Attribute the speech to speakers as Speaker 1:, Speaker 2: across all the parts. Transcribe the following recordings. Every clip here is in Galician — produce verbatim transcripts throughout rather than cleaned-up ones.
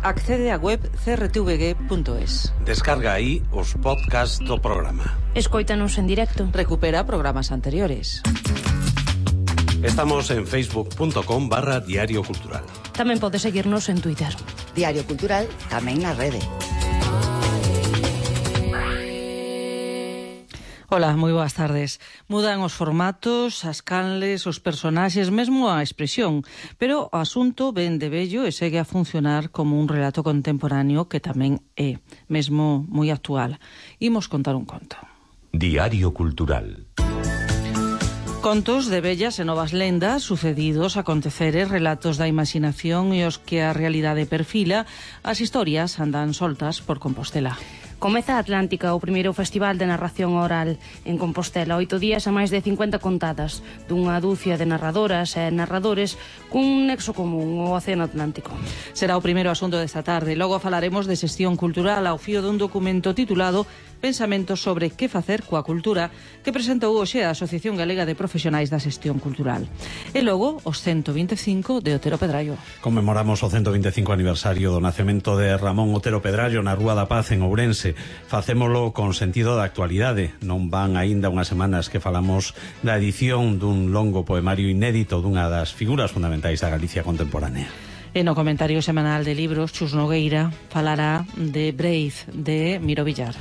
Speaker 1: Accede á web c r t v g punto es.
Speaker 2: Descarga aí os podcasts do programa.
Speaker 3: Escóitanos en directo.
Speaker 1: Recupera programas anteriores.
Speaker 2: Estamos en facebook punto com barra Diario Cultural.
Speaker 3: Tamén pode seguirnos en Twitter.
Speaker 4: Diario Cultural tamén na rede.
Speaker 1: Ola, moi boas tardes. Mudan os formatos, as canles, os personaxes, mesmo a expresión, pero o asunto ven de vello e segue a funcionar como un relato contemporáneo que tamén é, mesmo moi actual. Imos contar un conto.
Speaker 5: Diario Cultural.
Speaker 1: Contos de vellas e novas lendas, sucedidos, aconteceres, relatos da imaginación e os que a realidade perfila, as historias andan soltas por Compostela.
Speaker 3: Comeza Atlántica, o primeiro festival de narración oral en Compostela. Oito días a máis de cincuenta contadas, dunha dúcia de narradoras e narradores cun nexo común, o Océano Atlántico.
Speaker 1: Será o primeiro asunto desta tarde. Logo falaremos de xestión cultural ao fío dun documento titulado Pensamentos sobre que facer coa cultura, que presentou hoxe a Asociación Galega de Profesionais da Xestión Cultural. E logo, os ciento vinte e cinco de Otero Pedrallo.
Speaker 2: Conmemoramos o ciento vinte e cinco aniversario do nacemento de Ramón Otero Pedrallo na Rúa da Paz en Ourense. Facémolo con sentido da actualidade. Non van aínda unhas semanas que falamos da edición dun longo poemario inédito dunha das figuras fundamentais da Galicia contemporánea.
Speaker 1: E no comentario semanal de libros, Chus Nogueira falará de Brave, de Miro Villar.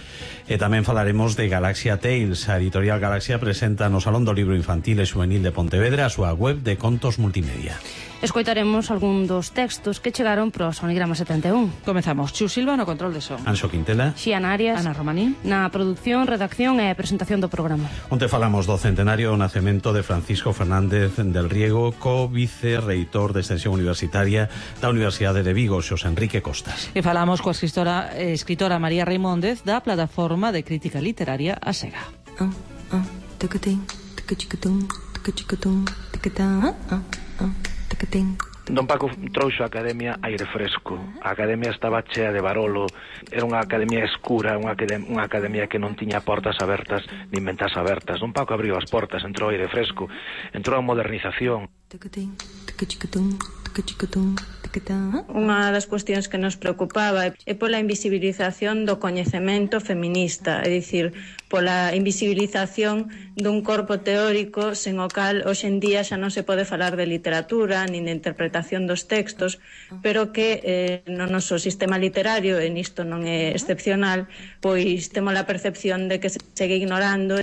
Speaker 2: E tamén falaremos de Galaxia Tales. A editorial Galaxia presenta no Salón do Libro Infantil e Xuvenil de Pontevedra a súa web de contos multimedia.
Speaker 3: Escoitaremos algún dos textos que chegaron pro Sonigrama setenta e un.
Speaker 1: Comezamos. Chus Silva no control de son.
Speaker 2: Anxo Quintela.
Speaker 3: Xian Arias.
Speaker 1: Ana Romaní.
Speaker 3: Na produción, redacción e presentación do programa.
Speaker 2: Onte falamos do centenario do nacemento de Francisco Fernández del Riego, co-vicerreitor de Extensión Universitaria da Universidade de Vigo, Xosé Enrique Costas.
Speaker 1: E falamos coa escritora, eh, escritora María Reimóndez da plataforma de crítica literaria A Sega.
Speaker 6: Ah, ah, tacatín, tacachicatún, tacachicatún, tacatá, ah, ah.
Speaker 7: Don Paco trouxo a academia aire fresco. A academia estaba chea de barolo. Era unha academia escura, unha academia, unha academia que non tiña portas abertas nin ventas abertas. Don Paco abriu as portas, entrou aire fresco, entrou a modernización.
Speaker 8: Unha das cuestións que nos preocupaba é pola invisibilización do coñecemento feminista, é dicir, pola invisibilización dun corpo teórico sen o cal hoxe en día xa non se pode falar de literatura nin de interpretación dos textos, pero que eh, no noso sistema literario, e nisto non é excepcional, pois temos a percepción de que se segue ignorando.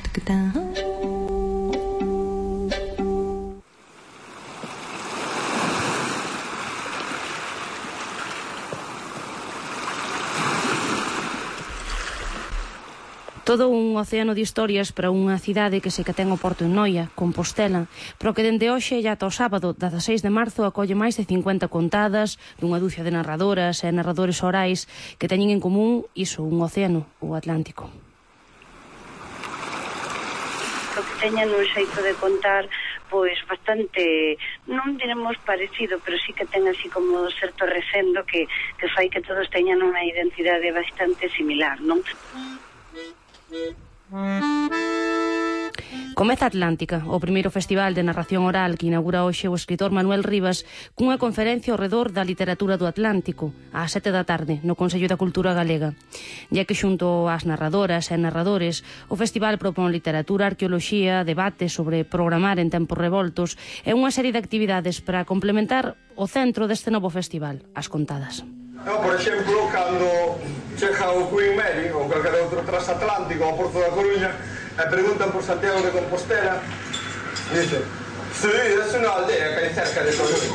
Speaker 3: Todo un océano de historias para unha cidade que se que ten o porto en Noia, Compostela, pero que dende hoxe e ata o sábado, dezaseis de marzo, acolle máis de cincuenta contadas dunha dúcia de narradoras e narradores orais que teñen en común iso, un océano, o Atlántico.
Speaker 9: O que teñen un xeito de contar pois bastante, non diremos parecido, pero sí que ten así como certo recendo que, que fai que todos teñan unha identidade bastante similar, non?
Speaker 3: Comeza Atlántica, o primeiro festival de narración oral que inaugura hoxe o escritor Manuel Rivas cunha conferencia ao redor da literatura do Atlántico ás sete da tarde no Consello da Cultura Galega. Ya que xunto ás narradoras e narradores o festival propón literatura, arqueoloxía, debate sobre programar en tempos revoltos e unha serie de actividades para complementar o centro deste novo festival, as contadas.
Speaker 10: Eu, por exemplo, cando chega o Queen Mary ou calquer outro transatlántico ao Porto da Coruña e preguntan por Santiago de Compostela, dice, sí, é unha aldea que hai cerca de Coruña.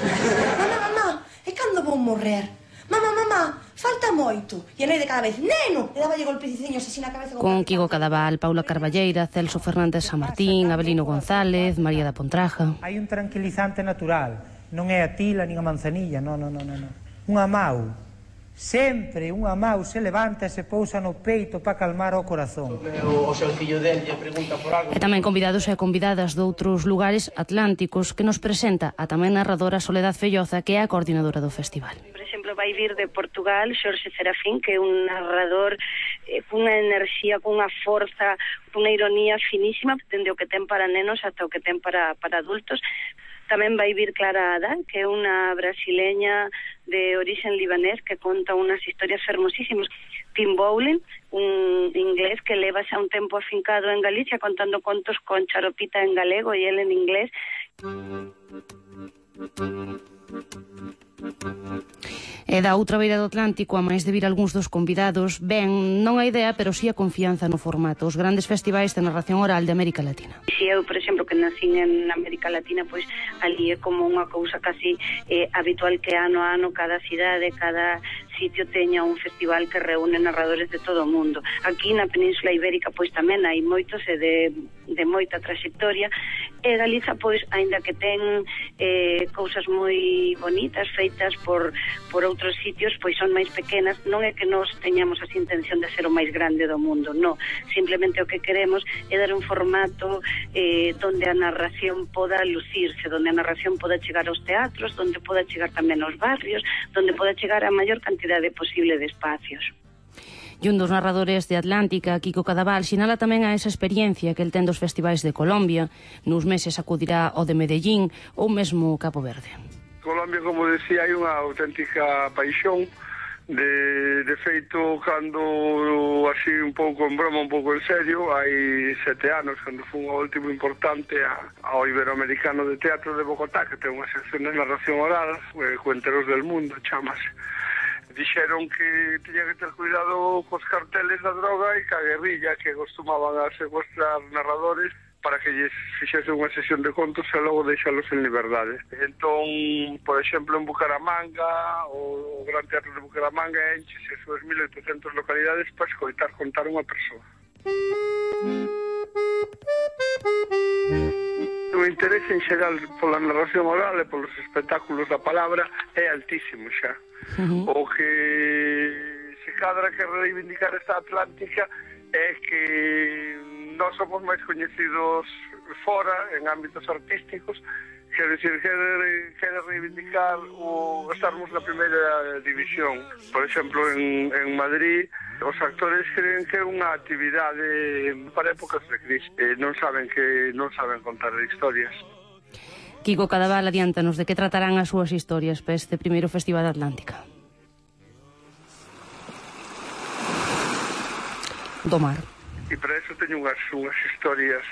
Speaker 6: Mamá, mamá, e cando vou morrer? Mamá, mamá, falta moito. E a nai de cada vez, neno, e daballe golpeciños así na cabeza.
Speaker 3: Con Quigo Cadaval, Paula Carballeira, Celso Fernández San Martín, Abelino González, María da Pontraja.
Speaker 11: Hai un tranquilizante natural, non é a tila nin a manzanilla, non, non, non, non. Unha mau. Sempre unha mau se levanta e se pousa no peito para calmar o corazón.
Speaker 10: O seu fillo del lle pregunta por algo.
Speaker 3: E tamén convidados e convidadas de outros lugares atlánticos que nos presenta a tamén narradora Soledad Felloza, que é a coordinadora do festival.
Speaker 9: Por exemplo, vai vir de Portugal Xorxe Serafín, que é un narrador eh, cunha enerxía, cunha forza, cunha ironía finísima, dende o que ten para nenos ata o que ten para, para adultos. Tamén vai vir Clara Adán, que é unha brasileña de origen libanés que conta unas historias fermosísimas. Tim Bowling, un inglés que leva xa un tempo afincado en Galicia contando contos con charopita en galego e el en inglés.
Speaker 3: E da outra beira do Atlántico, a máis de vir algúns dos convidados, ben, non a idea, pero sí a confianza no formato, os grandes festivais de narración oral de América Latina.
Speaker 9: Si eu, por exemplo, que nacín en América Latina, pois ali é como unha cousa casi eh, habitual que ano a ano cada cidade, cada sitio teña un festival que reúne narradores de todo o mundo. Aquí na Península Ibérica pois tamén hai moitos e de, de moita trayectoria, e Galiza pois aínda que ten eh, cousas moi bonitas feitas por, por outros sitios, pois son máis pequenas. Non é que nos teñamos así intención de ser o máis grande do mundo, non, simplemente o que queremos é dar un formato eh, donde a narración poda lucirse, donde a narración poda chegar aos teatros, donde poda chegar tamén aos barrios, donde poda chegar a maior cantidade posible de espacios.
Speaker 3: E un dos narradores de Atlántica, Kiko Cadaval, sinala tamén a esa experiencia que el ten dos festivais de Colombia. Nos meses acudirá ao de Medellín ou mesmo Cabo Verde.
Speaker 12: Colombia, como decía, hai unha auténtica paixón. De, de feito, cando así un pouco en broma, un pouco en serio, hai sete anos, cando foi un último importante a, ao Iberoamericano de Teatro de Bogotá, que ten unha sección de narración oral, eh, Cuenteros del Mundo, chamase. Dixeron que tiña que ter cuidado cos carteles da droga e ca guerrilla que costumaban a secuestrar narradores para que lles fixese unha sesión de contos e logo deixalos en liberdade. Entón, por exemplo, en Bucaramanga, o Gran Teatro de Bucaramanga enchese as súas mil oitocentas localidades para escoitar contar unha persoa. O interese en xeral pola narración oral e polos espectáculos da palabra é altísimo xa. Uh-huh. O que se cadra que reivindicar esta Atlántica é que nós somos máis coñecidos fora, en ámbitos artísticos, quer decir, quere, quere reivindicar o estarmos na primeira división. Por exemplo, en, en Madrid, os actores creen que é unha actividade para épocas de crise. Eh, non saben que non saben contar historias.
Speaker 3: Kiko Cadaval, adiántanos de que tratarán as súas historias para este primeiro Festival de Atlántica. Do mar.
Speaker 12: E para eso teño unhas, unhas historias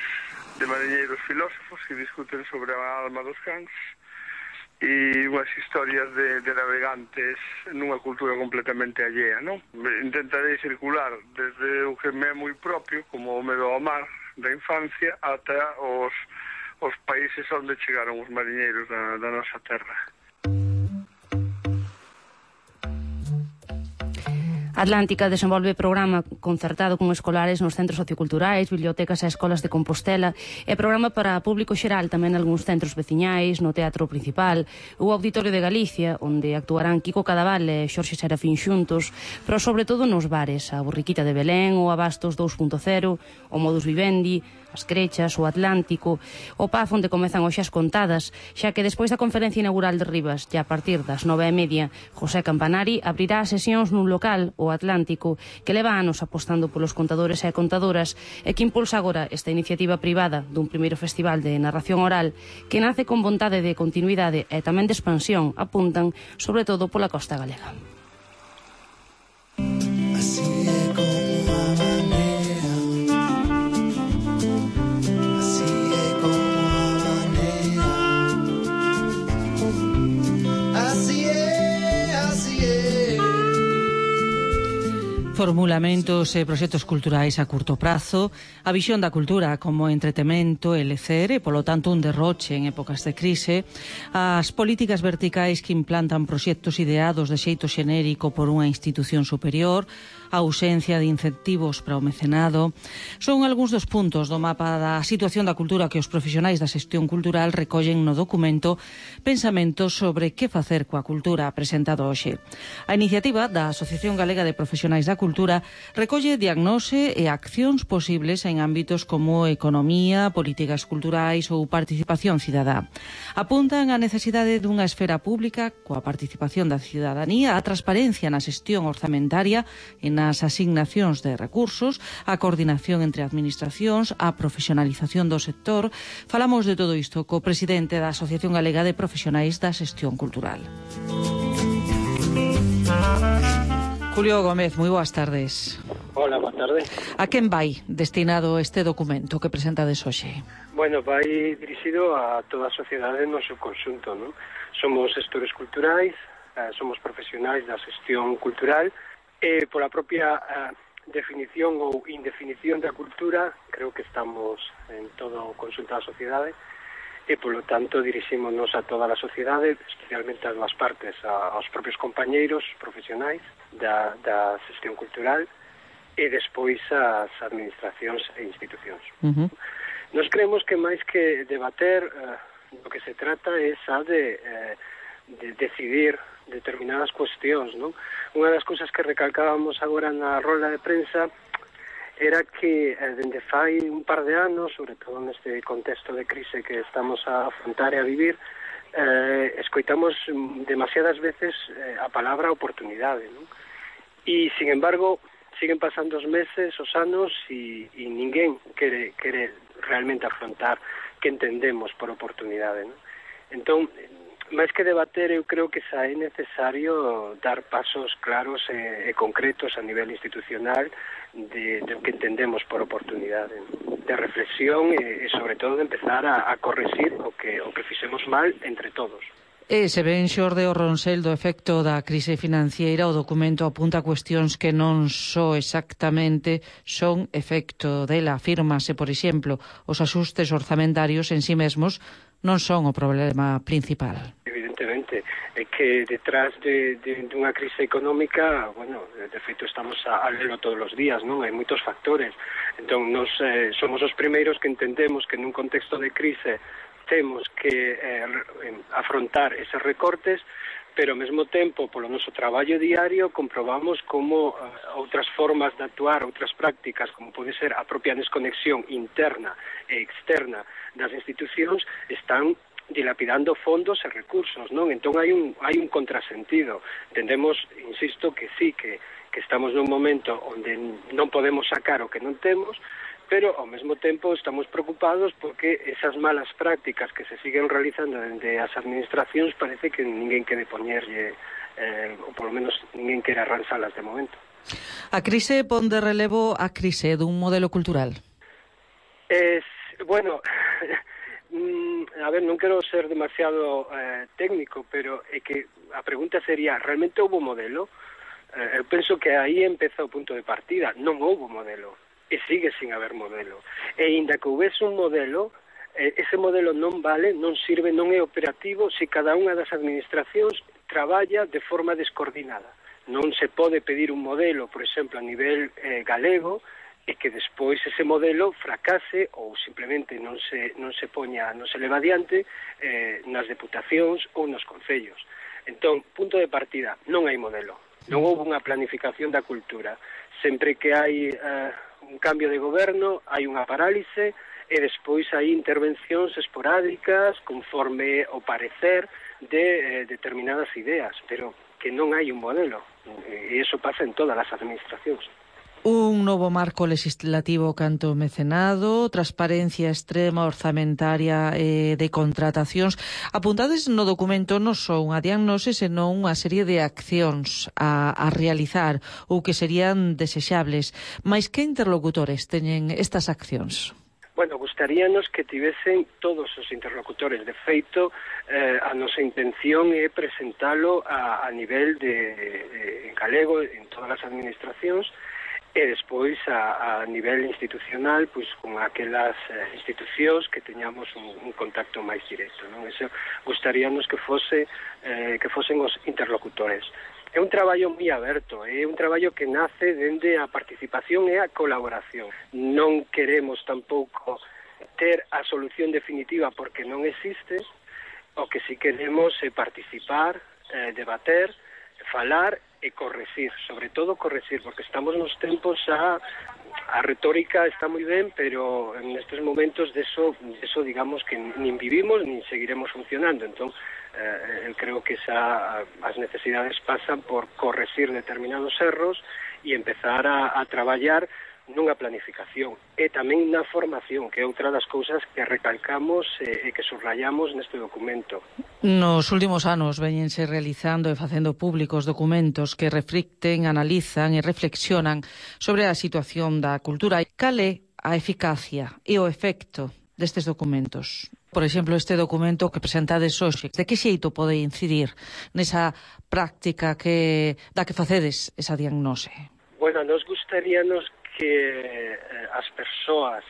Speaker 12: de mariñeiros filósofos que discuten sobre a alma dos cans e unhas historias de, de navegantes nunha cultura completamente allea, non? Intentarei circular desde o que me é moi propio, como o medo ao mar da infancia, ata os, os países onde chegaron os mariñeiros da, da nosa terra.
Speaker 3: Atlántica desenvolve programa concertado con escolares nos centros socioculturais, bibliotecas e escolas de Compostela e programa para público xeral tamén algúns centros veciñais, no Teatro Principal, o Auditorio de Galicia, onde actuarán Kiko Cadaval e Xorxe Serafín xuntos, pero sobre todo nos bares, a Borriquita de Belén, o Abastos dous punto cero, o Modus Vivendi, as Crechas, o Atlántico, o Paz onde comezan hoxe as contadas, xa que despois da conferencia inaugural de Rivas, e a partir das nove e media, José Campanari abrirá as sesións nun local, o Atlántico, que leva anos apostando polos contadores e contadoras e que impulsa agora esta iniciativa privada dun primeiro festival de narración oral que nace con vontade de continuidade e tamén de expansión, apuntan, sobre todo pola costa galega. Así é como a maneira, así é como a maneira, así é, así é.
Speaker 1: Formulamentos e proxectos culturais a curto prazo, a visión da cultura como entretemento e lecer e, polo tanto, un derroche en épocas de crise, as políticas verticais que implantan proxectos ideados de xeito xenérico por unha institución superior, a ausencia de incentivos para o mecenado, son algúns dos puntos do mapa da situación da cultura que os profesionais da xestión cultural recollen no documento Pensamentos sobre que facer coa cultura presentado hoxe. A iniciativa da Asociación Galega de Profesionais da Cultura recolle diagnose e accións posibles en ámbitos como economía, políticas culturais ou participación cidadá. Apuntan a necesidade dunha esfera pública coa participación da cidadanía, a transparencia na xestión orzamentaria e nas asignacións de recursos, a coordinación entre administracións, a profesionalización do sector. Falamos de todo isto co presidente da Asociación Galega de Profesionais da Xestión Cultural. Julio Gómez, moi boas tardes.
Speaker 13: Hola, boa tarde.
Speaker 1: A quen vai destinado este documento que presentades hoxe?
Speaker 13: Bueno, vai dirixido a toda a sociedade no seu conxunto, non? Somos gestores culturais, eh, somos profesionais da xestión cultural e pola propia eh, definición ou indefinición da cultura, creo que estamos en todo o conxunto da sociedade e, polo tanto, dirixímonos a toda a sociedade, especialmente as dúas partes, a, aos propios compañeiros profesionais da, da xestión cultural e despois as administracións e institucións.
Speaker 1: Uh-huh.
Speaker 13: Nos creemos que máis que debater, eh, do que se trata é xa de, eh, de decidir determinadas cuestións, non? Unha das cousas que recalcábamos agora na rola de prensa era que eh, dende fai un par de anos, sobre todo neste contexto de crise que estamos a afrontar e a vivir, eh, escoitamos demasiadas veces eh, a palabra oportunidade, non? E, sin embargo, siguen pasando os meses, os anos, e, e ninguén quere, quere realmente afrontar que entendemos por oportunidade, non? Entón, máis que debater, eu creo que xa é necesario dar pasos claros e, e concretos a nivel institucional de, de o que entendemos por oportunidade, non? De reflexión e, e sobre todo, de empezar a, a corregir o que, o que fixemos mal entre todos.
Speaker 1: E se ven xorde o Ronsel do efecto da crise financiera, o documento apunta cuestións que non só exactamente son efecto dela. Afírmase, por exemplo, os axustes orzamentarios en sí mesmos non son o problema principal.
Speaker 13: Evidentemente, é que detrás de, de, de unha crise económica, bueno, de feito estamos a, a lelo todos os días, non? Hai moitos factores. Entón, nos eh, somos os primeiros que entendemos que nun contexto de crise temos que eh, afrontar eses recortes, pero ao mesmo tempo, polo noso traballo diario, comprobamos como uh, outras formas de actuar, outras prácticas, como pode ser a propia desconexión interna e externa das institucións, están dilapidando fondos e recursos, non? Entón hai un, hai un contrasentido. Entendemos, insisto, que sí, que, que estamos nun momento onde non podemos sacar o que non temos, pero ao mesmo tempo estamos preocupados porque esas malas prácticas que se siguen realizando dende as administracións parece que ninguén quere poñerlle, eh, ou polo menos ninguén quere arranxalas de momento.
Speaker 1: A crise pon de relevo a crise dun modelo cultural?
Speaker 13: Es, bueno, a ver, non quero ser demasiado eh, técnico, pero é que a pregunta sería, realmente houve modelo? Eh, eu penso que aí empeza o punto de partida, non houve modelo. E sigue sin haber modelo. E inda que houvese un modelo, eh, ese modelo non vale, non sirve, non é operativo se cada unha das administracións traballa de forma descoordinada. Non se pode pedir un modelo, por exemplo, a nivel eh, galego, e que despois ese modelo fracase ou simplemente non se, non se poña, non se leva adiante eh, nas deputacións ou nos concellos. Entón, punto de partida, non hai modelo. Non houve unha planificación da cultura. Sempre que hai eh, un cambio de goberno, hai unha parálise e despois hai intervencións esporádicas conforme o parecer de eh, determinadas ideas, pero que non hai un modelo. E iso pasa en todas as administracións.
Speaker 1: Un novo marco legislativo canto mecenado, transparencia extrema orzamentaria e de contratacións. Apuntades no documento non só unha diagnose, senón unha serie de accións a, a realizar ou que serían desexables. Mais que interlocutores teñen estas accións?
Speaker 13: Bueno, gustaríanos que tivesen todos os interlocutores. De feito, eh, a nosa intención é presentalo a, a nivel de, de en galego en todas as administracións, e despois a, a nivel institucional, pois con aquelas eh, institucións que teñamos un, un contacto máis directo, non? Eso gustaríanos que fose eh, que fosen os interlocutores. É un traballo moi aberto, é un traballo que nace dende a participación e a colaboración. Non queremos tampouco ter a solución definitiva porque non existe, o que si queremos é participar, eh, debater, falar e corregir, sobre todo corregir, porque estamos nos tempos a a retórica está moi ben, pero en estes momentos de eso, de eso digamos que nin vivimos nin seguiremos funcionando. Entón, eh, eu creo que xa as necesidades pasan por corregir determinados erros e empezar a, a traballar nunha planificación e tamén na formación, que é outra das cousas que recalcamos e que subrayamos neste documento.
Speaker 1: Nos últimos anos veñense realizando e facendo públicos documentos que reflicten, analizan e reflexionan sobre a situación da cultura. Cal é a eficacia e o efecto destes documentos? Por exemplo, este documento que presentades hoxe, de que xeito pode incidir nesa práctica que da que facedes esa diagnose?
Speaker 13: Bueno, nos gustaríanos que eh, as persoas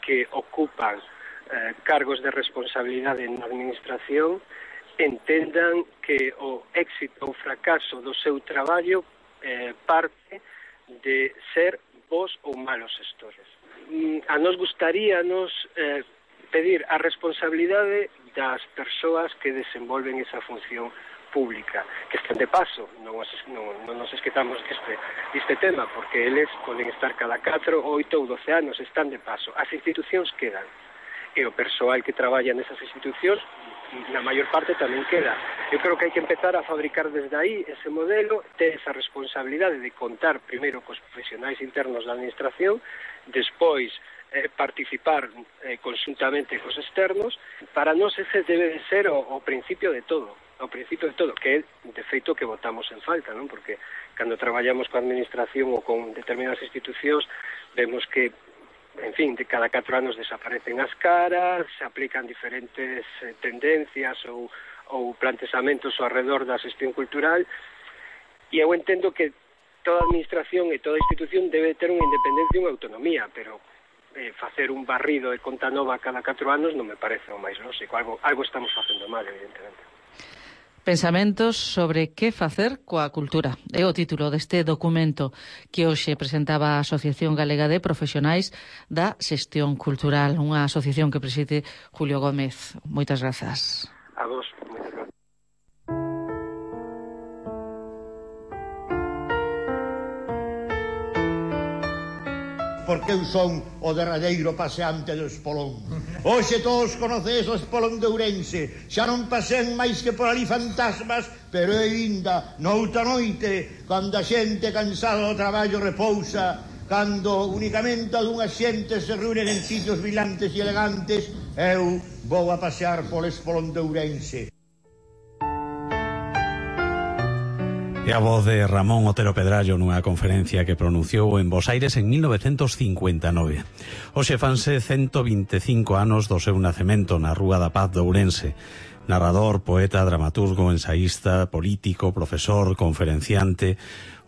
Speaker 13: que ocupan eh, cargos de responsabilidade na administración entendan que o éxito ou fracaso do seu traballo eh, parte de ser bons ou malos gestores. Mm, a nos gustaríanos eh, pedir a responsabilidade das persoas que desenvolven esa función pública, que estén de paso, non, non, non nos esquezamos deste, deste tema, porque eles poden estar cada catro, oito ou doce anos, están de paso. As institucións quedan, e o persoal que traballa nesas institucións, na maior parte tamén queda. Eu creo que hai que empezar a fabricar desde aí ese modelo, ter esa responsabilidade de contar primeiro cos profesionais internos da administración, despois eh, participar eh, conjuntamente cos externos. Para nós ese debe de ser o, o principio de todo. ao principio de todo, que é de feito que votamos en falta, non? Porque cando traballamos coa administración ou con determinadas institucións vemos que, en fin, de cada catro anos desaparecen as caras, se aplican diferentes eh, tendencias ou, ou plantexamentos ao redor da xestión cultural, e eu entendo que toda administración e toda institución debe ter unha independencia e unha autonomía, pero eh, facer un barrido de conta nova cada catro anos non me parece o máis lógico. Algo, algo estamos facendo mal, evidentemente.
Speaker 1: Pensamentos sobre que facer coa cultura. É o título deste documento que hoxe presentaba a Asociación Galega de Profesionais da Xestión Cultural, unha asociación que preside Julio Gómez. Moitas grazas.
Speaker 13: A vos, moitas grazas.
Speaker 14: Porque eu son o derradeiro paseante do Espolón. Hoxe todos conocedes o Espolón de Ourense. Xa non pasean máis que por ali fantasmas, pero é ainda noutra noite, cando a xente cansada do traballo repousa, cando únicamente algunha xente se reúnen en sitios brillantes e elegantes, eu vou a pasear polo Espolón de Ourense.
Speaker 2: E a voz de Ramón Otero Pedrallo nunha conferencia que pronunciou en Bos Aires en mil novecentos cincuenta e nove. Hoxe fanse ciento vinte e cinco anos do seu nacemento na Rúa da Paz de Ourense. Narrador, poeta, dramaturgo, ensaísta, político, profesor, conferenciante.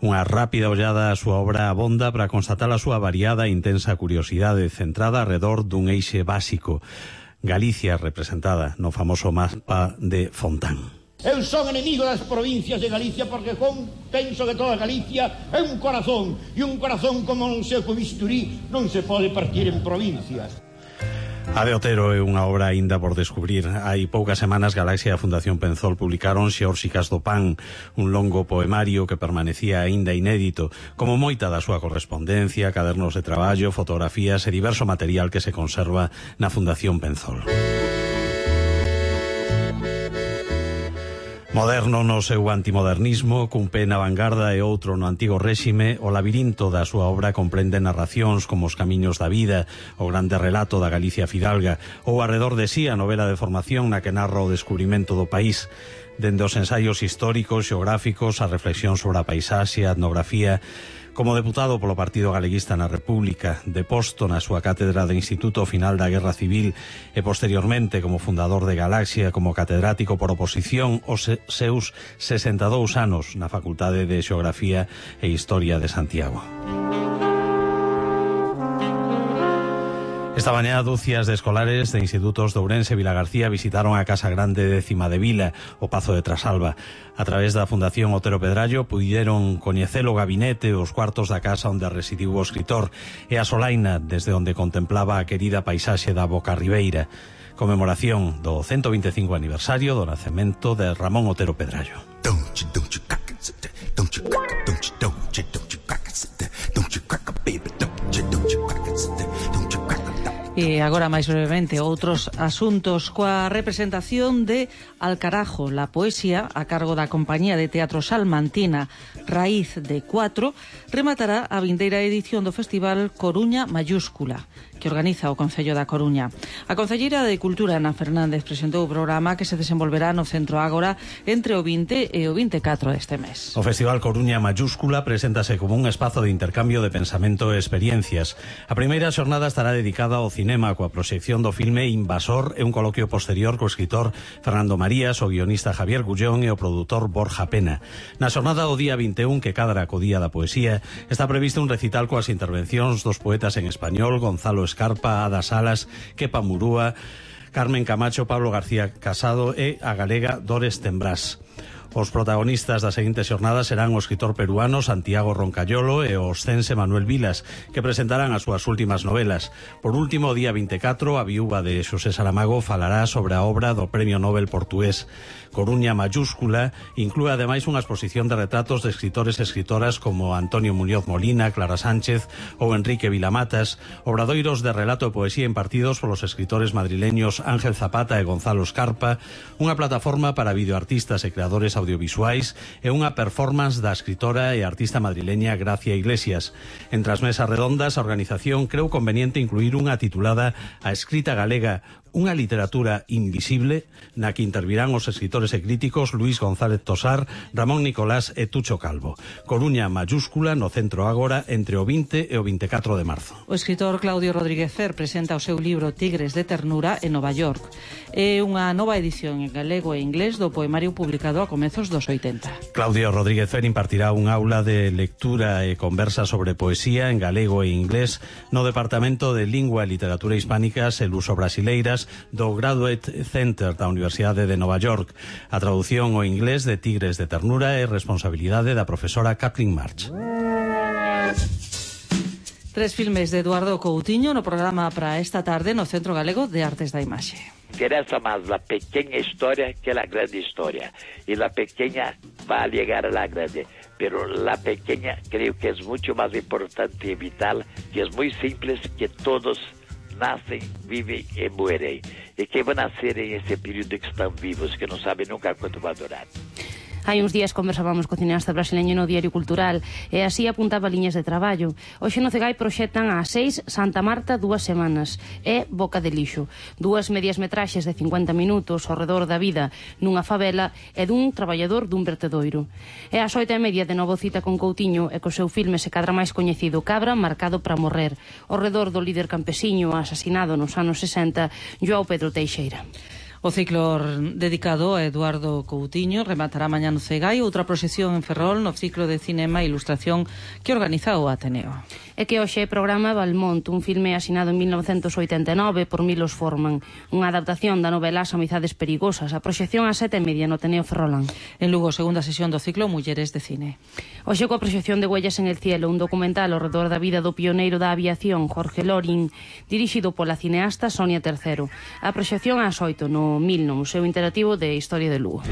Speaker 2: Unha rápida ollada á súa obra abonda para constatar a súa variada e intensa curiosidade centrada alrededor dun eixe básico. Galicia representada no famoso mapa de Fontán.
Speaker 14: Eu son enemigo das provincias de Galicia porque con, penso que toda Galicia é un corazón, e un corazón como non sei co bisturí non se pode partir en provincias.
Speaker 2: A de Otero é unha obra aínda por descubrir. Hai poucas semanas Galaxia e a Fundación Penzol publicaron Xeórsicas do Pan, un longo poemario que permanecía aínda inédito, como moita da súa correspondencia, cadernos de traballo, fotografías e diverso material que se conserva na Fundación Penzol. Moderno no seu antimodernismo, cun pé na vanguarda e outro no antigo réxime, o labirinto da súa obra comprende narracións como Os camiños da vida, o grande relato da Galicia fidalga, ou Arredor de sí, a novela de formación na que narra o descubrimento do país. Dende os ensaios históricos, xeográficos, a reflexión sobre a paisaxe, a etnografía. Como deputado polo Partido Galeguista na República, deposto na súa cátedra de Instituto Final da Guerra Civil e posteriormente como fundador de Galaxia, como catedrático por oposición os seus sesenta e dous anos na Facultade de Xeografía e Historia de Santiago. Esta mañá, dúcias de escolares de institutos de Ourense e Vilagarcía visitaron a Casa Grande de Cima de Vila, o Pazo de Trasalba. A través da Fundación Otero Pedrallo puideron coñecer o gabinete e os cuartos da casa onde residiu o escritor e a solaina desde onde contemplaba a querida paisaxe da Boca Ribeira. Conmemoración do ciento vinte e cinco aniversario do nacemento de Ramón Otero Pedrallo.
Speaker 1: E agora máis brevemente outros asuntos coa representación de Alcarajo, la poesía a cargo da compañía de teatro salmantina Raíz de Cuatro rematará a vindeira edición do Festival Coruña Mayúscula que organiza o Concello da Coruña. A Concelleira de Cultura, Ana Fernández, presentou o programa que se desenvolverá no Centro Ágora entre o vinte e o vinte e catro deste mes.
Speaker 2: O Festival Coruña Mayúscula preséntase como un espazo de intercambio de pensamento e experiencias. A primeira xornada estará dedicada ao cinema coa proxección do filme Invasor e un coloquio posterior co escritor Fernando Marías, o guionista Javier Gullón e o produtor Borja Pena. Na xornada do día vinte e un, que cadra co Día da Poesía, está previsto un recital coas intervencións dos poetas en español Gonzalo Escarpa, Ada Salas, Kepa Murúa, Carmen Camacho, Pablo García Casado e a galega Dores Tembrás. Os protagonistas das seguintes xornadas serán o escritor peruano Santiago Roncayolo e o oscense Manuel Vilas, que presentarán as súas últimas novelas. Por último, o día vinte e catro, a viúva de Xosé Saramago falará sobre a obra do Premio Nobel portugués. Coruña Mayúscula inclúe ademais unha exposición de retratos de escritores e escritoras como Antonio Muñoz Molina, Clara Sánchez ou Enrique Vilamatas, obradoiros de relato e poesía impartidos polos escritores madrileños Ángel Zapata e Gonzalo Escarpa, unha plataforma para videoartistas e creadores audiovisuais e unha performance da escritora e artista madrileña Gracia Iglesias. Entre as mesas redondas, a organización creu conveniente incluir unha titulada A escrita galega, unha literatura invisible, na que intervirán os escritores e críticos Luis González Tosar, Ramón Nicolás e Tucho Calvo. Coruña Mayúscula no Centro Ágora entre o vinte e o vinte e catro de marzo.
Speaker 1: O escritor Claudio Rodríguez Fer presenta o seu libro Tigres de Ternura en Nova York. É unha nova edición en galego e inglés do poemario publicado a comezos dos oitenta.
Speaker 2: Claudio Rodríguez Fer impartirá un aula de lectura e conversa sobre poesía en galego e inglés no Departamento de Lingua e Literatura Hispánicas e Luso Brasileiras do Graduate Center da Universidade de Nova York. A traducción ao inglés de Tigres de Ternura é responsabilidade da profesora Kathleen March.
Speaker 1: Tres filmes de Eduardo Coutinho no programa para esta tarde no Centro Galego de Artes da Imaxe.
Speaker 15: Interesa más la pequeña historia que la grande historia. Y la pequeña va a llegar a la grande. Pero la pequeña creo que es mucho más importante y vital, que es muy simple, que todos nacen, viven y mueren. ¿Y qué van a hacer en ese periodo que están vivos, que no saben nunca cuánto va a durar?
Speaker 3: Hai uns días conversábamos co cineasta brasileño no Diario Cultural e así apuntaba liñas de traballo. Hoxe no Cegai proxectan a seis Santa Marta dúas semanas e Boca de Lixo. Dúas medias metraxes de cincuenta minutos ao redor da vida nunha favela e dun traballador dun vertedoiro. E ás oito e media de novo cita con Coutinho e co seu filme se cadra máis coñecido Cabra marcado para morrer, ao redor do líder campesiño asasinado nos anos sesenta, João Pedro Teixeira.
Speaker 1: O ciclo dedicado a Eduardo Coutinho rematará mañá no Cegai outra proxección en Ferrol no ciclo de cinema e ilustración que organiza o Ateneo.
Speaker 3: É que hoxe programa Valmont, un filme asinado en mil novecentos oitenta e nove por Milos Forman, unha adaptación da novela As amizades perigosas, a proxección a sete e media no Ateneo Ferrolán.
Speaker 1: En Lugo, segunda sesión do ciclo Mulleres de Cine.
Speaker 3: Hoxe coa proxección de Huellas en el cielo, un documental ao redor da vida do pioneiro da aviación, Jorge Loring, dirixido pola cineasta Sonia Tercero. A proxección ás oito no Mil, no Museo Interactivo de Historia de Lugo.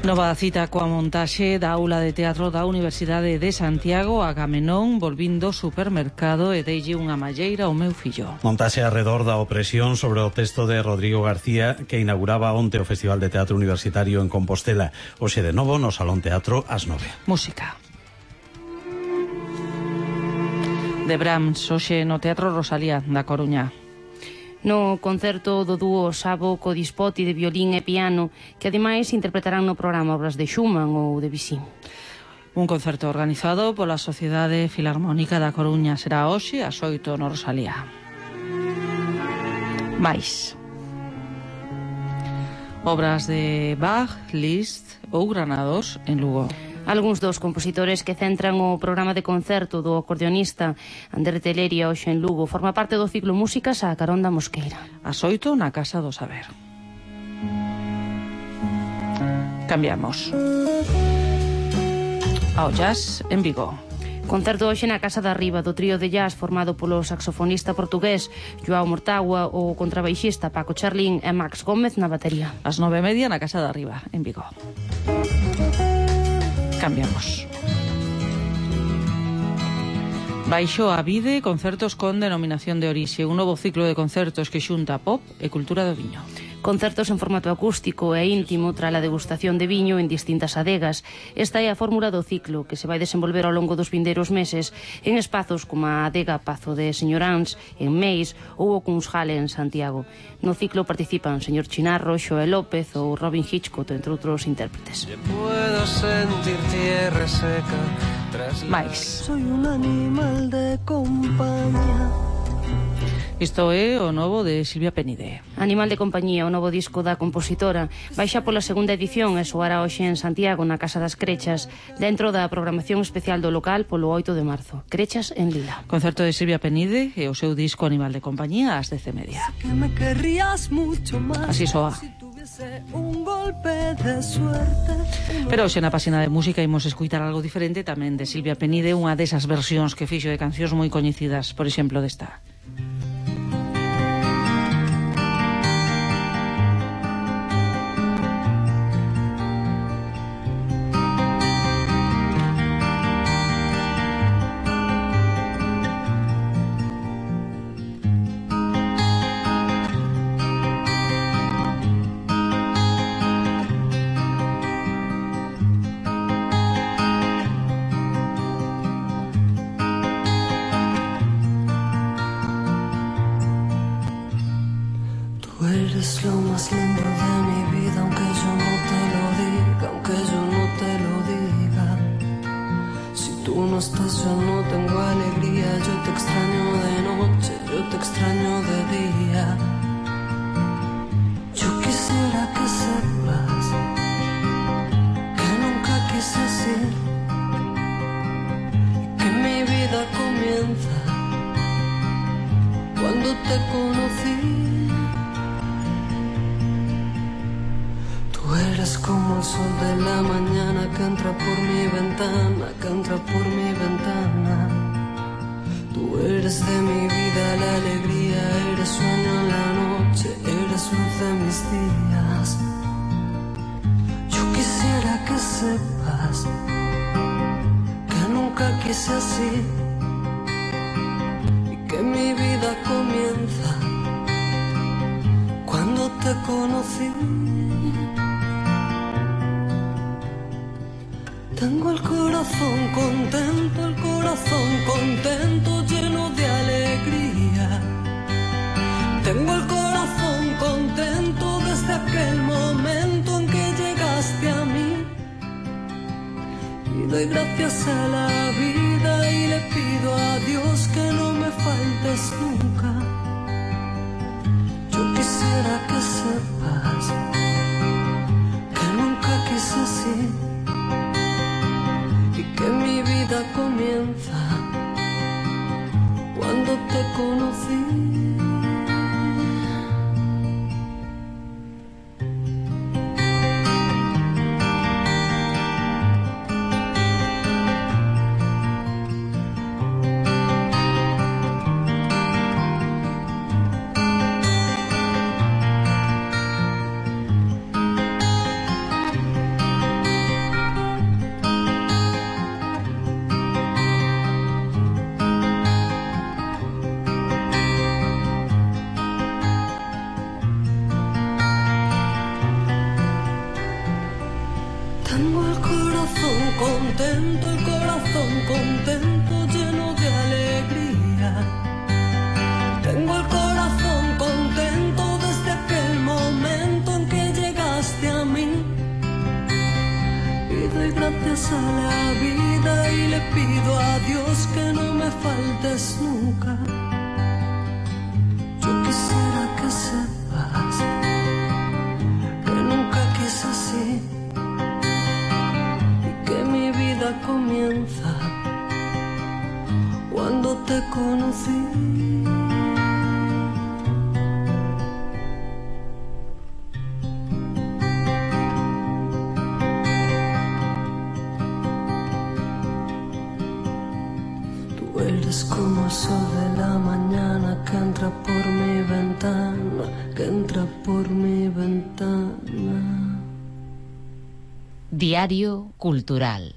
Speaker 1: Nova cita coa montaxe da aula de teatro da Universidade de Santiago, Agamenón, volvindo supermercado e deille unha malleira ao meu fillo.
Speaker 2: Montaxe arredor da opresión sobre o texto de Rodrigo García que inauguraba onte o Festival de Teatro Universitario en Compostela. Hoxe de novo no Salón Teatro ás nove.
Speaker 1: Música. De Brahms, hoxe no Teatro Rosalía da Coruña.
Speaker 3: No concerto do dúo Sabo co Dispoti de violín e piano, que ademais interpretarán no programa obras de Schumann ou de Debussy.
Speaker 1: Un concerto organizado pola Sociedade Filarmónica da Coruña será hoxe ás oito no Rosalía. Mais obras de Bach, Liszt ou Granados en Lugo.
Speaker 3: Algúns dos compositores que centran o programa de concerto do acordeonista Ander Teleria hoxe en Lugo forma parte do ciclo Músicas a Carón da Mosqueira.
Speaker 1: As oito na Casa do Saber. Cambiamos ao jazz en Vigo.
Speaker 3: Concerto hoxe na Casa da Riba do trío de jazz formado polo saxofonista portugués Joao Mortágua, o contrabaixista Paco Charlín e Max Gómez na batería.
Speaker 1: As nove e media na Casa da Riba en Vigo. Cambiamos. Baixo a Vide, concertos con denominación de orixe, un novo ciclo de concertos que xunta pop e cultura do viño.
Speaker 3: Concertos en formato acústico e íntimo tras a degustación de viño en distintas adegas. Esta é a fórmula do ciclo que se vai desenvolver ao longo dos vindeiros meses en espazos como a adega Pazo de Señoráns en Meis ou o Cunshale en Santiago. No ciclo participan Señor Chinarro, Xoel López ou Robin Hitchcock, entre outros intérpretes.
Speaker 1: Mais.
Speaker 16: Soy un animal de compañía.
Speaker 1: Isto é o novo de Silvia Penide.
Speaker 3: Animal de compañía, o novo disco da compositora, baixa pola segunda edición e soará hoxe en Santiago, na Casa das Crechas, dentro da programación especial do local polo oito de marzo. Crechas en Lila.
Speaker 1: Concerto de Silvia Penide e o seu disco Animal de compañía ás dez e media. Así soa.
Speaker 16: Un golpe de suerte.
Speaker 1: Pero hoxe na páxina de música imos escutar algo diferente tamén de Silvia Penide, unha desas versións que fixo de cancións moi coñecidas, por exemplo desta.
Speaker 16: Eres lo más lindo de mi vida, aunque yo no te lo diga, aunque yo no te lo diga. Si tú no estás yo no tengo alegría, yo te extraño de noche, yo te extraño de día. Yo quisiera que sepas que nunca quise así, que mi vida comienza cuando te conocí. Eres como el sol de la mañana que entra por mi ventana, que entra por mi ventana. Tú eres de mi vida la alegría, eres sueño en la noche, eres luz de mis días. Yo quisiera que sepas que nunca quise así y que mi vida comienza cuando te conocí. Tengo el corazón contento, el corazón contento, lleno de alegría. Tengo el corazón contento desde aquel momento en que llegaste a mí. Y doy gracias a la vida y le pido a Dios que no me faltes nunca. Yo quisiera que sepas que nunca quise así, que mi vida comienza cuando te conocí. Contento, el corazón contento, lleno de alegría. Tengo el corazón contento desde aquel momento en que llegaste a mí. Y doy gracias a la vida y le pido a Dios que no me faltes nunca. Yo quisiera que sepas que nunca quise así, comienza cuando te conocí. Tú eres como el sol de la mañana que entra por mi ventana, que entra por mi ventana.
Speaker 17: Diario Cultural.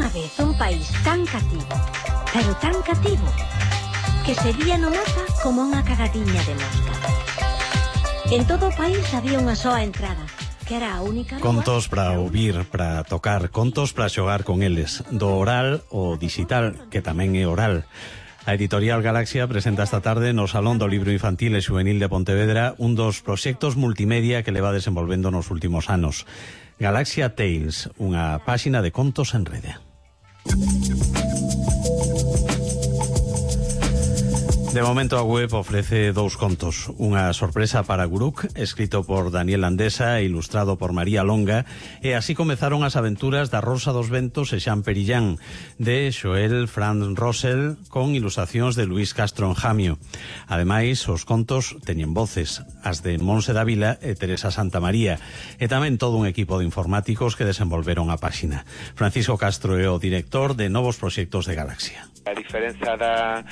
Speaker 17: unha vez un país tan cativo, pero tan cativo, que sería no mapa como unha cagadiña de mosca. En todo o país había unha soa entrada, que era a única...
Speaker 2: Contos para ouvir, para tocar, contos para xogar con eles, do oral ao digital, que tamén é oral. A Editorial Galaxia presenta esta tarde no Salón do Libro Infantil e Xuvenil de Pontevedra un dos proxectos multimedia que leva desenvolvendo nos últimos anos. Galaxia Tales, unha páxina de contos en rede. De momento a web ofrece dous contos. Unha sorpresa para Guruk, escrito por Daniel Andesa e ilustrado por María Longa, e así comezaron as aventuras da Rosa dos Ventos e Xan Perillán, de Xoel Franz Rosell, con ilustracións de Luís Castro Enjamio. Ademais, os contos teñen voces, as de Monse Dávila e Teresa Santamaría, e tamén todo un equipo de informáticos que desenvolveron a páxina. Francisco Castro é o director de novos proxectos de Galaxia.
Speaker 18: A diferenza da,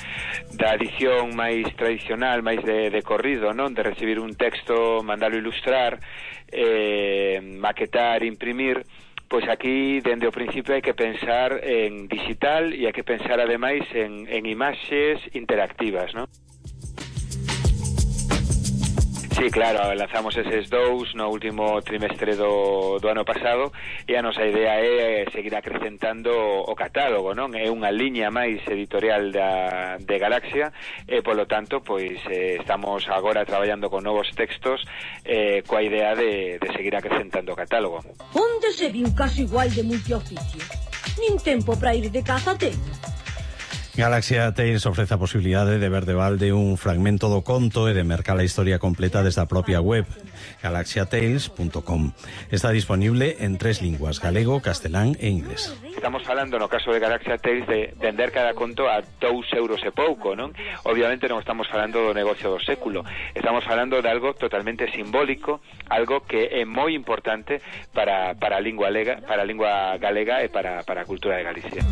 Speaker 18: da edición máis tradicional, máis de, de corrido, non? De recibir un texto, mandalo ilustrar, eh, maquetar, imprimir, pois aquí, dende o principio, hai que pensar en digital e hai que pensar, ademais, en, en imaxes interactivas, non? Sí, claro, lanzamos eses dous no último trimestre do, do ano pasado e a nosa idea é seguir acrecentando o catálogo, non? É unha liña máis editorial da, de Galaxia e, polo tanto, pois eh, estamos agora traballando con novos textos eh, coa idea de, de seguir acrecentando o catálogo.
Speaker 17: Onde se viu caso igual de multioficio? Nin tempo para ir de caza ten.
Speaker 2: Galaxia Tales ofrece a posibilidade de ver de balde un fragmento do conto e de mercar a historia completa desde a propia web, galaxia tales punto com. Está disponible en tres linguas, galego, castelán e inglés.
Speaker 18: Estamos falando, no caso de Galaxia Tales, de vender cada conto a dous euros e pouco, non? Obviamente non estamos falando do negocio do século, estamos falando de algo totalmente simbólico, algo que é moi importante para, para a lingua galega, para a lingua galega e para, para a cultura de Galicia.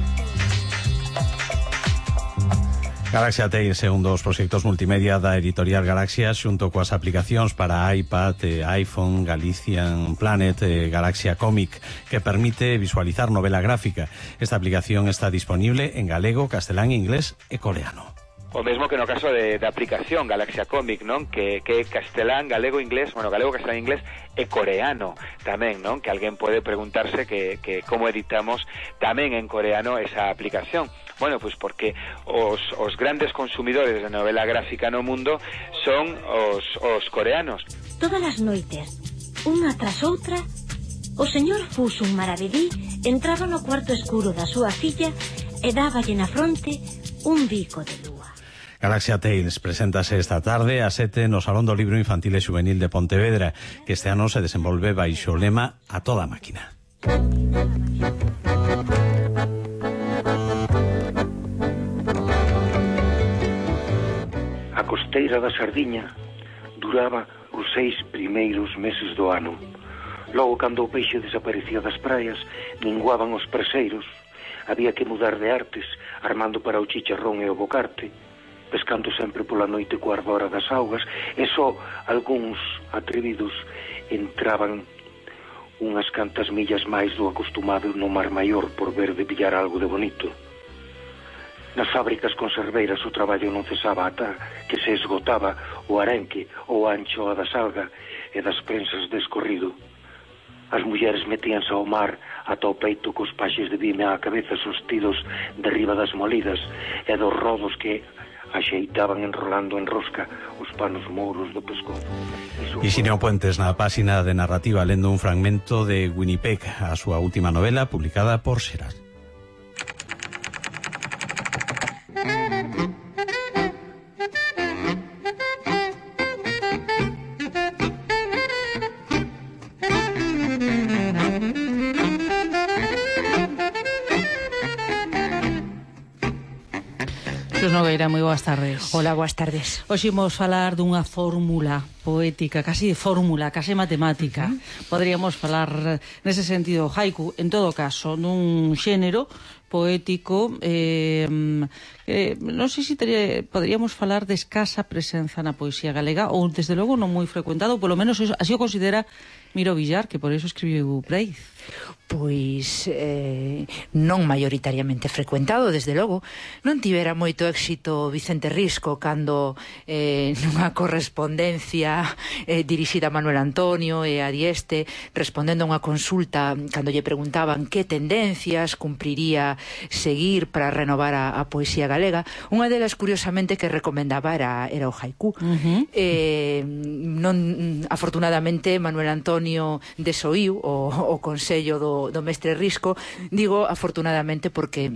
Speaker 2: Galaxia Tales é un dos proxectos multimedia da Editorial Galaxia xunto coas aplicacións para iPad, eh, iPhone, Galician Planet, eh, Galaxia Comic, que permite visualizar novela gráfica. Esta aplicación está disponible en galego, castelán, inglés e coreano.
Speaker 18: O mesmo que no caso de, de aplicación Galaxia Comic, non? Que, que castelán, galego, inglés, bueno, galego, castelán, inglés e coreano tamén, non? Que alguén pode preguntarse que, que como editamos tamén en coreano esa aplicación. Bueno, pois pues porque os, os grandes consumidores de novela gráfica no mundo son os, os coreanos.
Speaker 17: Todas as noites, unha tras outra, o señor Fusun Maravedí entraba no cuarto escuro da súa filla e dáballe na fronte un bico de lúa.
Speaker 2: Galaxia Tales preséntase esta tarde a sete no Salón do Libro Infantil e Xuvenil de Pontevedra, que este ano se desenvolve baixo o lema A toda máquina.
Speaker 19: A costeira da Sardiña duraba os seis primeiros meses do ano. Logo, cando o peixe desaparecía das praias, minguaban os preseiros. Había que mudar de artes, armando para o chicharrón e o bocarte, pescando sempre pola noite coa ardora das augas, e só algúns atrevidos entraban unhas cantas millas máis do acostumado no Mar Maior por ver de pillar algo de bonito. Nas fábricas conserveiras o traballo non cesaba ata que se esgotaba o arenque ou a anchoa da salga e das prensas de escorrido. As mulleres metíanse ao mar ata o peito cos paxes de vime á cabeza sostidos derriba das molidas e dos rodos que axeitaban enrolando en rosca os panos mouros do pescozo.
Speaker 2: Ixinio Puentes na páxina de narrativa lendo un fragmento de Winnipeg, a súa última novela publicada por Xeral.
Speaker 1: Nogueira, moi boas tardes.
Speaker 3: Hola, boas tardes.
Speaker 1: Hoxe imos falar dunha fórmula poética, casi de fórmula, casi matemática. Uh -huh. Podríamos falar nese sentido haiku, en todo caso, nun xénero poético, eh, eh, non sei se teria, poderíamos falar de escasa presenza na poesía galega, ou desde logo non moi frecuentado, polo menos así o considera Miro Villar, que por eso escribiu Breith.
Speaker 20: Pois eh, non maioritariamente frecuentado, desde logo. Non tivera moito éxito Vicente Risco cando eh, nunha correspondencia eh, dirixida a Manuel Antonio e a Dieste, respondendo a unha consulta cando lle preguntaban que tendencias cumpriría seguir para renovar a, a poesía galega, unha delas curiosamente que recomendaba era, era o haiku. Uh-huh. eh, non, afortunadamente Manuel Antonio desoíu o, o consello do do mestre Risco, digo afortunadamente porque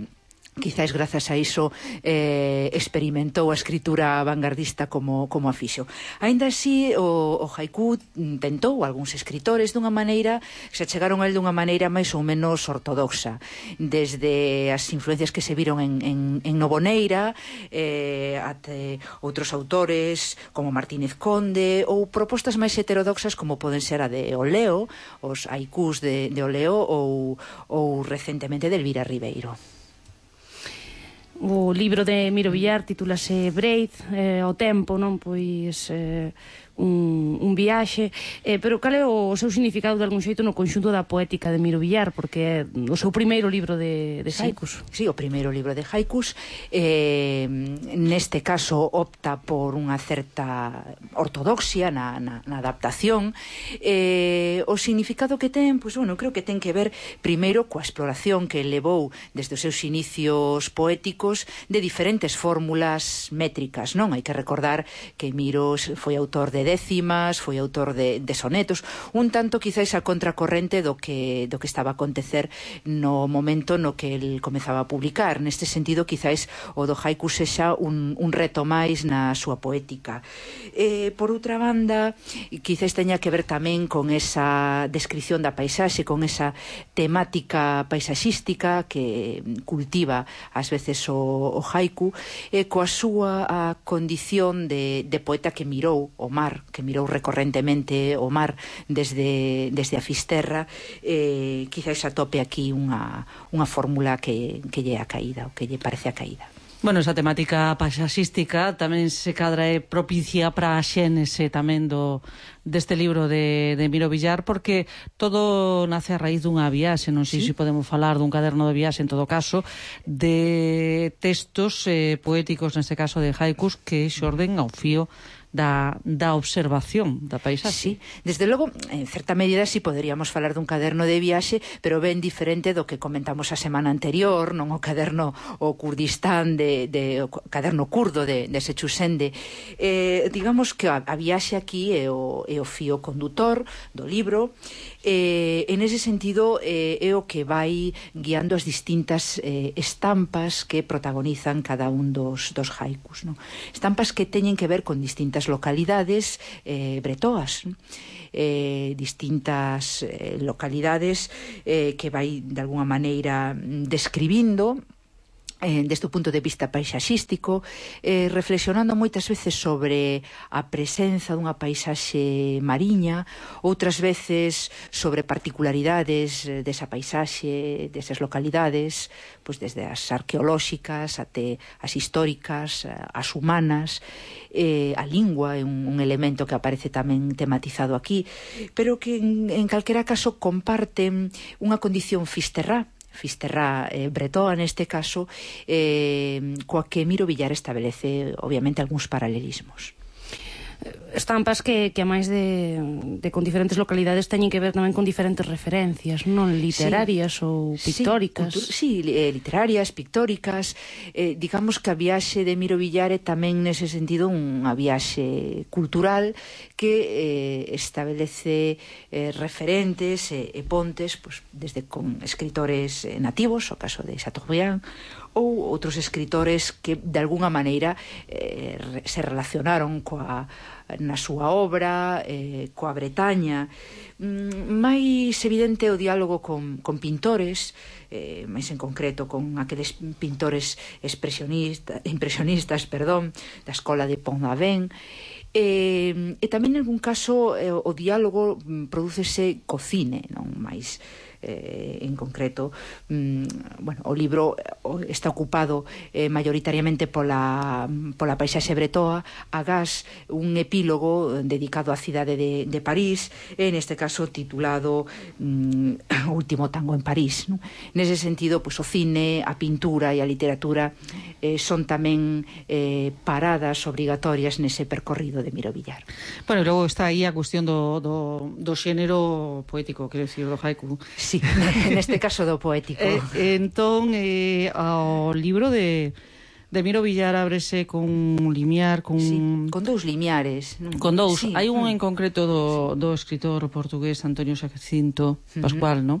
Speaker 20: quizáis grazas a iso eh, experimentou a escritura vanguardista como, como a fixo. Ainda así, o, o haiku tentou algúns escritores dunha maneira, se chegaron a él dunha maneira máis ou menos ortodoxa, desde as influencias que se viron en, en, en Novoneira, eh, até outros autores como Martínez Conde, ou propostas máis heterodoxas como poden ser a de Oleo, os haikus de, de Oleo, ou, ou recentemente de Elvira Ribeiro.
Speaker 3: O libro de Miro Villar titúlase Breith, eh, o tempo, non? Pois eh, un, un viaxe, eh, pero cal é o seu significado de algún xeito no conxunto da poética de Miro Villar, porque é o seu primeiro libro de, de haikus.
Speaker 20: Sí, sí, o primeiro libro de haikus, eh, neste caso opta por unha certa ortodoxia na, na, na adaptación. Eh, o significado que ten, pois, bueno, creo que ten que ver primeiro coa exploración que levou desde os seus inicios poéticos de diferentes fórmulas métricas, non? Hai que recordar que Miro foi autor de décimas, foi autor de, de sonetos, un tanto quizáis a contracorrente do que, do que estaba a acontecer no momento no que el comezaba a publicar. Neste sentido, quizáis o do haiku sexa un, un reto máis na súa poética. Eh, por outra banda, quizáis teña que ver tamén con esa descripción da paisaxe, con esa temática paisaxística que cultiva ás veces o, o haiku, e coa súa a condición de, de poeta que mirou o mar, que mirou recorrentemente o mar desde, desde a Fisterra, eh, quizás atope aquí unha, unha fórmula que, que lle a caída, o que lle parece a caída.
Speaker 1: Bueno, esa temática paisaxística tamén se cadra é propicia para a xénese tamén do deste libro de, de Miro Villar, porque todo nace a raíz dunha viaxe, non sei ¿Sí? se podemos falar dun caderno de viaxe, en todo caso, de textos eh, poéticos, neste caso de haikus, que xorden ao fío da, da observación da paisaxe.
Speaker 20: Sí, desde logo, en certa medida sí poderíamos falar dun caderno de viaxe, pero ben diferente do que comentamos a semana anterior, non o caderno o Kurdistán de, de o caderno kurdo de, de Sechusende. Eh, digamos que a, a viaxe aquí é o, é o fío condutor do libro. Eh, en ese sentido eh, é o que vai guiando as distintas eh, estampas que protagonizan cada un dos, dos haikus, non? Estampas que teñen que ver con distintas localidades eh, bretoas, eh, distintas eh, localidades eh, que vai de alguna maneira describindo Eh, desde o punto de vista paisaxístico, eh, reflexionando moitas veces sobre a presenza dunha paisaxe mariña, outras veces sobre particularidades desa paisaxe, desas localidades, pois desde as arqueolóxicas até as históricas, as humanas. Eh, a lingua é un, un elemento que aparece tamén tematizado aquí, pero que en, en calquera caso comparten unha condición fisterrá, Fisterrá eh, bretoa neste caso, eh, coa que Miro Villar establece obviamente algúns paralelismos.
Speaker 3: Estampas que, que a máis de, de con diferentes localidades teñen que ver tamén con diferentes referencias, non literarias sí, ou pictóricas.
Speaker 20: Sí, sí eh, literarias, pictóricas. Eh, digamos que a viaxe de Miro Villar é tamén nese sentido unha viaxe cultural que eh, establece eh, referentes e, e pontes, pues, desde con escritores eh, nativos, o caso de Chateaubriand, ou outros escritores que de alguna maneira eh, se relacionaron coa na súa obra, eh, coa Bretaña. Mm, máis evidente o diálogo con, con pintores, eh, máis en concreto con aqueles pintores expresionistas, impresionistas, perdón, da escola de Pont-Aven. Eh, e tamén en algún caso eh, o diálogo prodúcese co cine, non máis eh, en concreto, mm, bueno, o libro está ocupado eh, mayoritariamente pola, pola paisaxe bretoa, agás un epílogo dedicado á cidade de, de París, en este caso titulado mm, O último tango en París, non? Nese sentido, pois, o cine, a pintura e a literatura eh, son tamén eh, paradas obrigatorias nese percorrido de Miro Villar.
Speaker 1: Bueno, e logo está aí a cuestión do, do, do xénero poético, quero dicir, do haiku.
Speaker 20: Sí, neste caso do poético.
Speaker 1: Eh, entón, eh, ao libro de... de Miro Villar ábrese con un limiar, con...
Speaker 20: Sí, con dous limiares.
Speaker 1: Con dous.
Speaker 20: Sí.
Speaker 1: Hai un en concreto do, do escritor portugués Antonio Jacinto Pascual, uh-huh. non?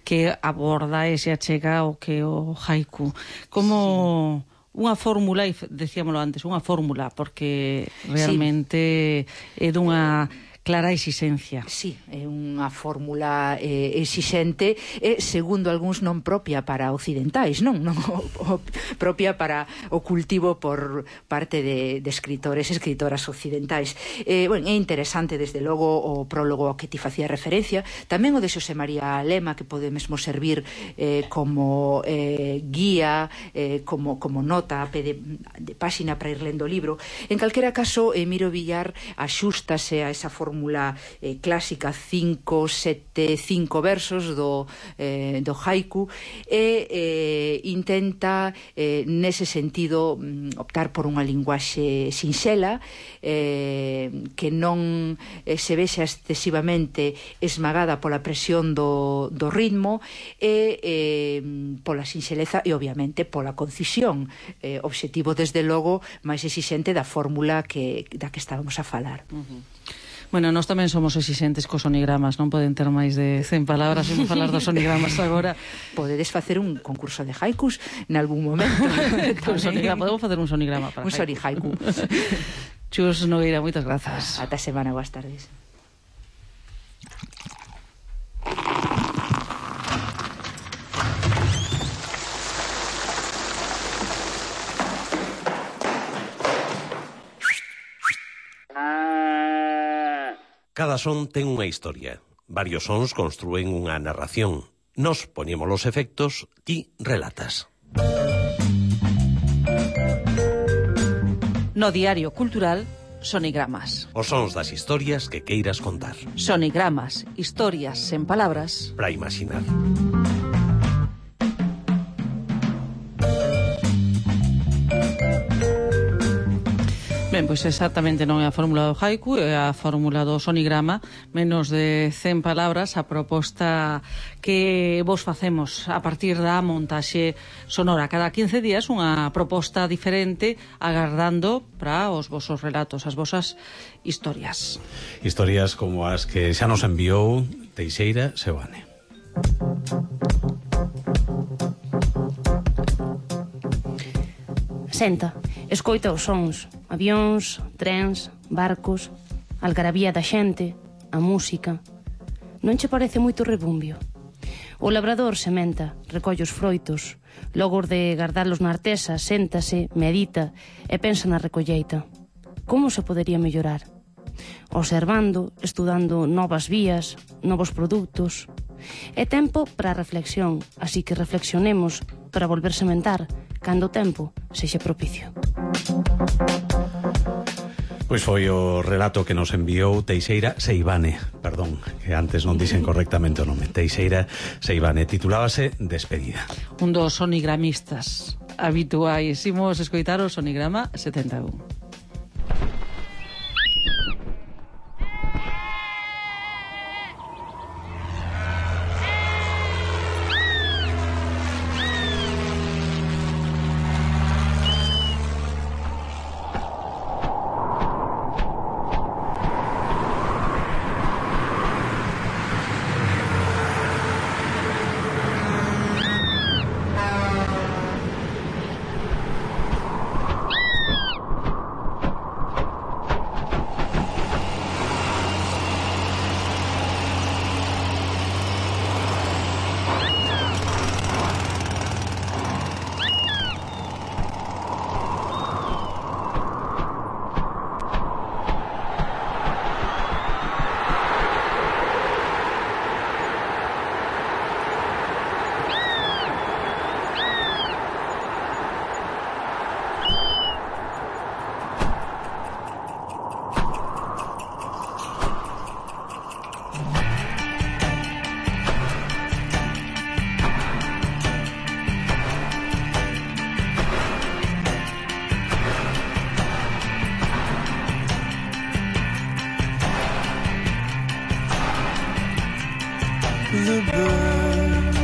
Speaker 1: Que aborda e se achega o que o haiku. Como... Sí. Unha fórmula, e decíamolo antes, unha fórmula, porque realmente sí. é dunha clara exigencia.
Speaker 20: Sí, é unha fórmula eh, exixente e, segundo algúns, non propia para occidentais, non, non o, o, propia para o cultivo por parte de, de escritores e escritoras occidentais. Eh, bueno, é interesante, desde logo, o prólogo ao que ti facía referencia, tamén o de Xosé María Lema, que pode mesmo servir eh, como eh, guía, eh, como, como nota a pé de, de páxina para ir lendo o libro. En calquera caso, eh, Miro Villar axústase a esa fórmula fórmula eh, clásica cinco, sete, cinco versos do, eh, do haiku e eh, intenta eh, nese sentido optar por unha linguaxe sinxela eh, que non eh, se vexa excesivamente esmagada pola presión do, do ritmo e eh, pola sinxeleza e obviamente pola concisión, eh, obxectivo desde logo máis exixente da fórmula que, da que estábamos a falar.
Speaker 1: Uh-huh. Bueno, nós tamén somos exixentes cos sonigramas, non poden ter máis de cen palabras, imos falar dos sonigramas agora.
Speaker 20: Podedes facer un concurso de haikus en algún momento.
Speaker 1: Un sonigrama, podemos facer un sonigrama para
Speaker 20: un soni haiku.
Speaker 1: Chus Nogueira, moitas grazas.
Speaker 20: Ata semana, boas tardes.
Speaker 21: Cada son ten unha historia. Varios sons construen unha narración. Nos poñemos os efectos, ti relatas.
Speaker 1: No Diario Cultural, Sonigramas.
Speaker 21: Os sons das historias que queiras contar.
Speaker 1: Sonigramas, historias sen palabras.
Speaker 21: Para imaginar.
Speaker 1: Ben, pois exactamente non é a fórmula do haiku, é a fórmula do sonigrama, menos de cen palabras, a proposta que vos facemos a partir da montaxe sonora. Cada quince días unha proposta diferente, agardando para os vosos relatos, as vosas historias.
Speaker 2: Historias como as que xa nos enviou Teixeira Seoane.
Speaker 3: Senta, escoita os sons, avións, trens, barcos, algarabía da xente, a música. Non che parece moito rebumbio? O labrador sementa, recolle os froitos, logo de gardalos na artesa, séntase, medita e pensa na recolleita. Como se podería mellorar? Observando, estudando novas vías, novos produtos. É tempo para a reflexión, así que reflexionemos para volver sementar cando o tempo sexa propicio.
Speaker 2: Pois foi o relato que nos enviou Teixeira Seivane, perdón, que antes non dixen correctamente o nome. Teixeira Seivane, titulábase Despedida.
Speaker 1: Un dos sonigramistas habituais. Imos escoitar o sonigrama setenta e un.
Speaker 16: the birds.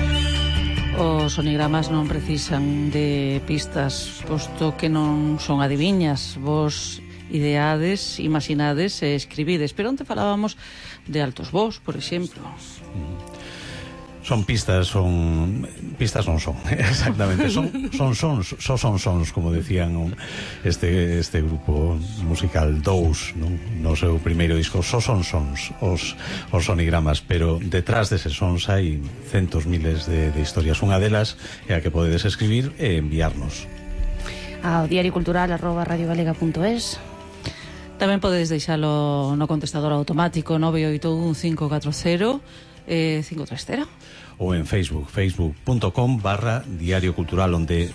Speaker 1: Os sonigramas non precisan de pistas, posto que non son adiviñas. Vos ideades, imaginades e escribides. Pero onde falábamos de altos vos, por exemplo.
Speaker 2: Son pistas, son pistas non son, exactamente, son son sons, son son sons, como decían este este grupo musical Dous, non? No seu primeiro disco, son son sons os os sonigramas, pero detrás deses sons hai centos miles de, de historias. Unha delas é a que podedes escribir e enviarnos
Speaker 3: ao diario cultural arroba radio galega punto es.
Speaker 1: Tamén podedes deixalo no contestador automático nove oito un cinco catro cero eh, cinco tres cero
Speaker 2: ou en Facebook, facebook punto com barra Diario Cultural, onde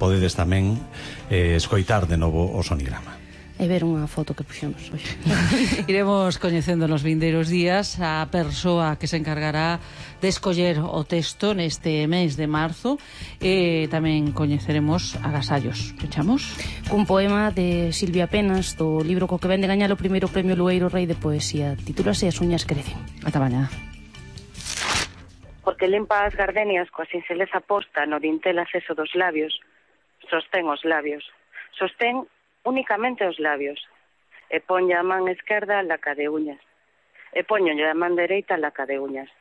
Speaker 2: podedes tamén eh, escoitar de novo o sonigrama
Speaker 3: e ver unha foto que puxemos hoxe.
Speaker 1: Iremos coñecendo nos vindeiros días a persoa que se encargará de escoller o texto neste mes de marzo, e tamén coñeceremos agasallos. Pechamos
Speaker 3: cun poema de Silvia Penas, do libro co que vende gañar o primeiro premio Lueiro Rei de Poesía. Titúlase As uñas crecen.
Speaker 1: Ata mañá.
Speaker 9: Porque limpa as gardenias coa sinxeleza posta no dintel acceso dos labios, sostén os labios, sostén únicamente os labios, e ponlle a man esquerda a laca de uñas, e poñolle a man dereita a laca de uñas,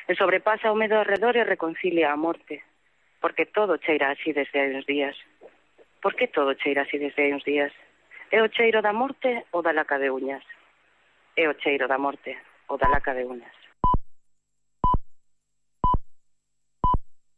Speaker 9: e sobrepasa o medo arredor e reconcilia a morte, porque todo cheira así desde hai uns días. Por que todo cheira así desde hai uns días? É o cheiro da morte ou da laca de uñas? É o cheiro da morte ou da laca de uñas?